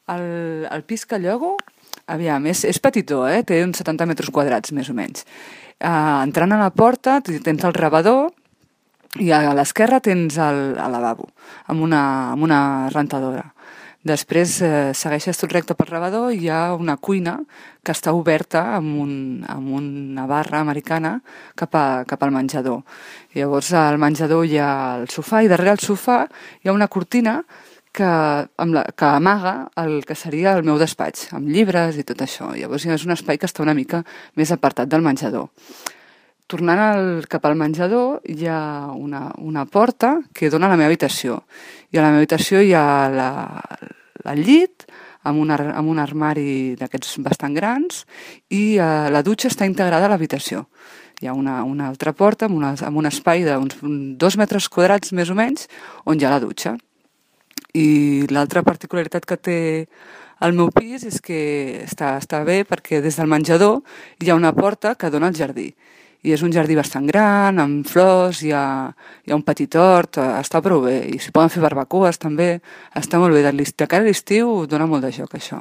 El pis que llogo, aviam, és petitó, té uns 70 metres quadrats, més o menys. Entrant a la porta tens el rebedor i a l'esquerra tens el lavabo, amb una rentadora. Després segueixes tot recte pel rebedor i hi ha una cuina que està oberta amb una barra americana cap al menjador. Llavors al menjador hi ha el sofà i darrere el sofà hi ha una cortina que amaga el que seria el meu despatx, amb llibres i tot això. Llavors és un espai que està una mica més apartat del menjador. Tornant cap al menjador hi ha una porta que dona a la meva habitació. I a la meva habitació hi ha el llit amb un armari d'aquests bastant grans i la dutxa està integrada a l'habitació. Hi ha una altra porta amb un espai d'uns 2 metres quadrats més o menys on hi ha la dutxa. I l'altra particularitat que té el meu pis és que està bé perquè des del menjador hi ha una porta que dona al jardí. I és un jardí bastant gran, amb flors, hi ha un petit hort, està prou bé. I s'hi poden fer barbacoes també, està molt bé. De cara a l'estiu dona molt de joc això.